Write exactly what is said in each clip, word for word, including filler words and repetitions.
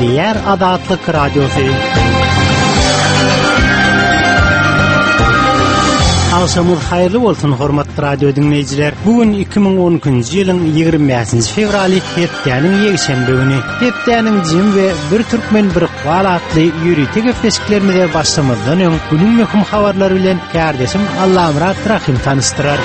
Gepleýär Azatlyk Radiosy. Agşamyňyz haýyrly bolsun, hormatly radio diňleýjiler. Bu gün iki müň on ikinji ýylyň ýigrimi bäşinji fewraly, hepdäniň ýekşenbe güni. Hepdäniň jemi we bir türkmen bir ykbal atly ýörite gepleşiklerimize başlamazdan öň günüň möhüm habarlary bilen kärdeşim Allamyrat Rahim tanyşdyrar.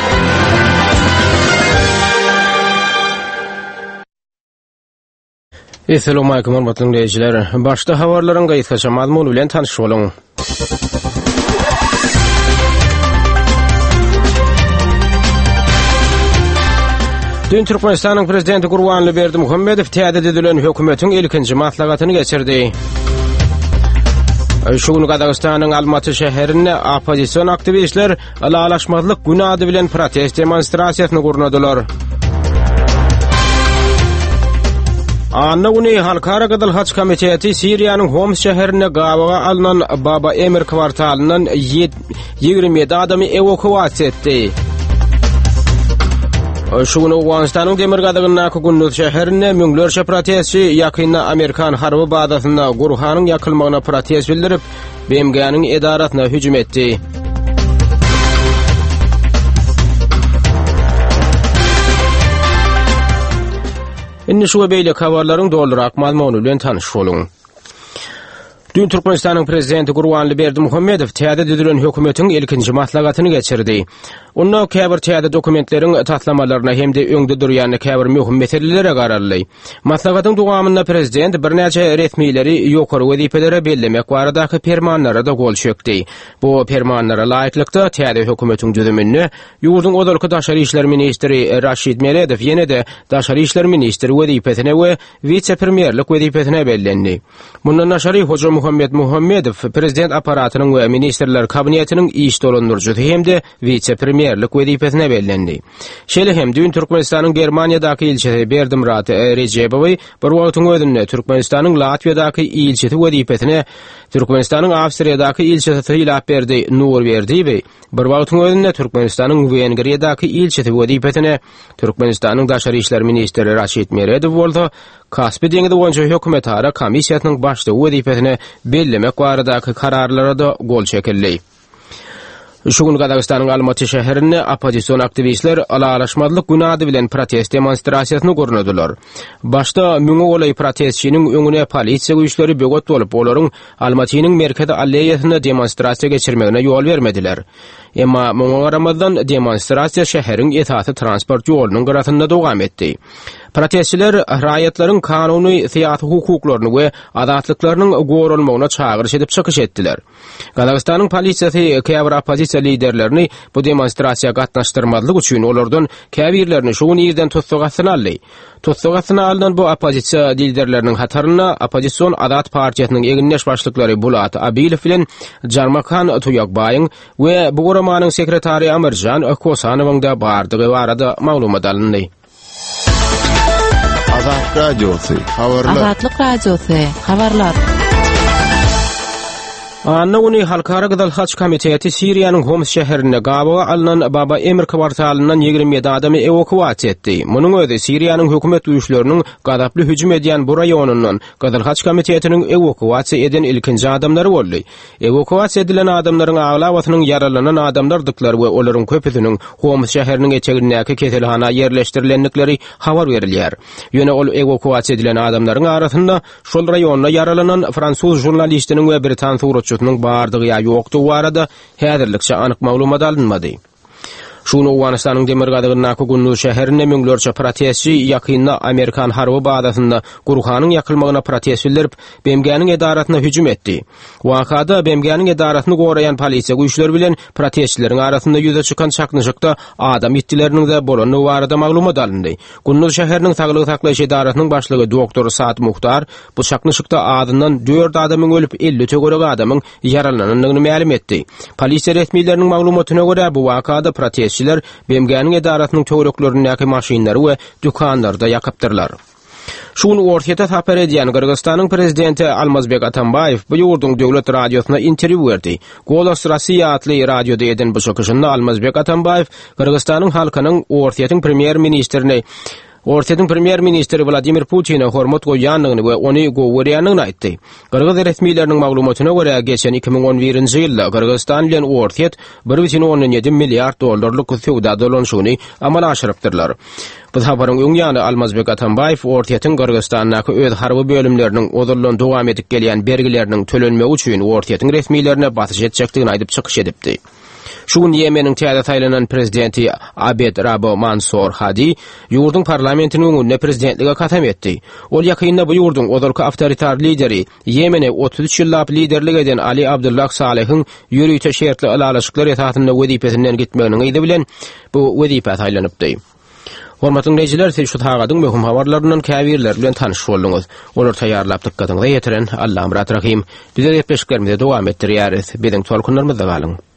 Esselamu aleýkum hormatly dinleýjiler. Başda habarlaryň gysgaça mazmuny bilen tanyş boluň. Dün Türkmenistanyň Prezidenti Gurbanguly Berdimuhamedow täze düzülen hökümetiň ilkinji maslahatyny geçirdi. Şu gün Gazagystanyň Almaty şäherinde oppozision aktiwistler Ylalaşmazlyk güni ady bilen protest demonstrasiýasyny gurnadylar. Anna güni Halkara Gyzyl Haç Komiteti Siriýanyň Homs şäherinde gabaga alnan Baba Emir kwartalyndan ýigrimi ýedi adamy ewakuasiýa etdi. Şu gün Owganystanyň demirgazygyndaky Gunduz şäherinde müňlerçe protestçi ýakynda amerikan harby bazasynda Gurhanyň ýakylmagyna protest bildirip, B M G-niň edarasyna hüjüm etdi. Indi şu we beýleki habarlaryň dolurak mazmuny bilen tanyş boluň. Dün Türkmenistanyň Prezidenti Gurbanguly Berdimuhamedow täze düzülen hökümetiň ilkinji maslahatyny geçirdi. Onda käbir täze dokumentleriň taslamalaryna hem-de öňde durýan käbir möhüm meselelere garaldy. Maslahatyň dowamynda prezident birnäçe resmileri ýokary wezipelere bellemek baradaky permanlara-da gol çekdi. Bu permanlara laýyklykda täze hökümetiň düzüminde ýurduň ozalky daşary işler ministri Raşid Meredow ýene-de daşary işler ministri wezipesine we wise-premýerlik wezipesine bellendi. Mundan daşary Hoja Muhammed Muhammedow prezident apparatynyň we ministrler kabinetiniň iş dolandyryjysy hem-de wise-premýerlik wezipesine bellendi. Şeýle hem düýn Türkmenistanyň Germaniýadaky ilçisi Berdimyrat Rejebowy bir wagtyň özünde Türkmenistanyň Latwiýadaky ilçisi wezipesine, Türkmenistanyň Awstriýadaky ilçisi Sylapberdi Nurberdiýewi bir wagtyň özünde Türkmenistanyň Wengriýadaky ilçisi wezipesine, Türkmenistanyň Daşary işler ministri Raşid Meredow bolsa Kaspi deňizi boýunça hökümetara komissiýasynyň başlygy wezipesine bellemek baradaky kararlara-da gol çekildi. Şu gün Gazagystanyň Almaty şäherinde oppozision aktiwistler Ylalaşmazlyk güni ady bilen protest demonstrasiýasyny gurnadylar. Başda müňe golaý protestçiniň öňüne polisiýa güýçleri böwet bolup, olaryň Almatynyň merkezi alleýasynda demonstrasiýa geçirmegine ýol bermediler. Emma muňa garamazdan demonstrasiýa şäheriň esasy transport ýolunyň gyrasynda dowam etdi. Protestçiler raýatlaryň kanuny syýasy hukuklaryny we azatlyklarynyň goralmagyna çagyryş edip çykyş etdiler. Gazagystanyň polisiýasy käbir oppozisiýa liderlerini bu demonstrasiýa gatnaşdyrmazlyk üçin olardan käbirlerini şu gün irden tussag astyna aldy. Tussag astyna alnan bu oppozisiýa liderleriniň hatarynda oppozision Azat partiýasynyň egindeş başlyklary Bulat Abilow bilen Jarmakan Tuýakbaýyň we bu guramanyň sekretary Amirjan Kosanowyň da bardygy barada maglumat alyndy. Azat Radiosy, habarlar. Azatlyk Radiosy, habarlar. Anna güni Halkara Gyzyl Haç Komiteti Siriýanyň Homs şäherinde gabaga alnan Baba Emir kwartalyndan ýigrimi ýedi adamy ewakuasiýa etdi. Munuň özi Siriýanyň hökümet güýçleriniň gazaply hüjüm edýän bu raýonyndan Gyzyl Haç Komitetiniň ewakuasiýa eden ilkinji adamlary boldy. Ewakuasiýa edilen adamlaryň aglabasynyň ýaralanan adamlardyklary we olaryň köpüsiniň Homs şäheriniň etegindäki keselhana ýerleşdirilendikleri habar berilýär. Ýöne ol ewakuasiýa edilen adamlaryň arasynda şol raýonda ýaralanan fransuz žurnalistiniň we britan suratçysynyň bardygy ýa ýokdugy barada häzirlikçe anyk maglumat alynmady. Şu gün Owganystanyň demirgazygyndaky Gunduz şäherinde müňlerçe protestçi ýakynda Amerikan harby bazasynda Gurhanyň ýakylmagyna protest bildirip, B M G-niň edarasyna hüjüm etdi. Wakada B M G-niň edarasyny goraýan polisiýa güýçleri bilen protestçileriň arasynda ýüze çykan çaknyşykda adam ýitgileriniň-de bolandygy barada maglumat alyndy. Gunduz şäheriniň saglygy saklaýyş edarasynyň başlygy doktor Saad Muhtar bu çaknyşykda azyndan dört adamyň ölüp, elli töweregi adamyň ýaralanandygyny mälim etdi. Polisiýa resmileriniň maglumatyna görä, bu wakada protestçiler B M G-niň edarasynyň töwereklerindäki maşynlary we dükanlary-da ýakypdyrlar. Şu gün Orsýete sapar edýän Gyrgyzystanyň prezidenti Almazbek Atambaýew bu ýurduň döwlet radiosyna interwýu berdi. Golos Rossiýa atly radioda eden bu çykyşynda Almazbek Atambaýew Gyrgyzystanyň halkynyň Orsýetiň premýer-ministrini Orsýetiň premýer-ministri Wladimir Putine hormat goýýandygyny we ony gowy görýändigini aýtdy. Gyrgyz resmileriniň maglumatyna görä, geçen iki müň on birinji ýylda Gyrgyzystan bilen Orsýet bir bütin ondan ýedi milliard dollarlyk söwda dolanyşygyny amala aşyrypdyrlar. Bu saparyň öň ýany Almazbek Atambaýew Orsýetiň Gyrgyzystandaky öz harby bölümleriniň ozaldan dowam edip gelýän bergileriniň tölenmegi üçin Orsýetiň resmilerine basyş etjekdigini aýdyp çykyş edipdi. Şu gün Ýemeniň täze saýlanan prezidenti Abed Rabo Mansur Hadi ýurduň parlamentiniň öňünde prezidentlige kasam etdi. Ol ýakynda bu ýurduň ozalky awtoritar lideri Ýemene otuz üç ýyllap liderlik eden Ali Abdullah Salehiň ýörite şertli ylalaşyklar esasynda wezipesinden gitmeginiň yzy bilen bu wezipä saýlanypdy. Hormatly dinleýjiler, siz şu sagadyň möhüm habarlaryndan käbirleri bilen tanyş bolduňyz. Olar taýýarlap dykgatyňyza ýetiren Allamyrat Rahim. Bize gepleşiklerimizi dowam etdirýäris. Biziň tolkunlarymyzda galyň.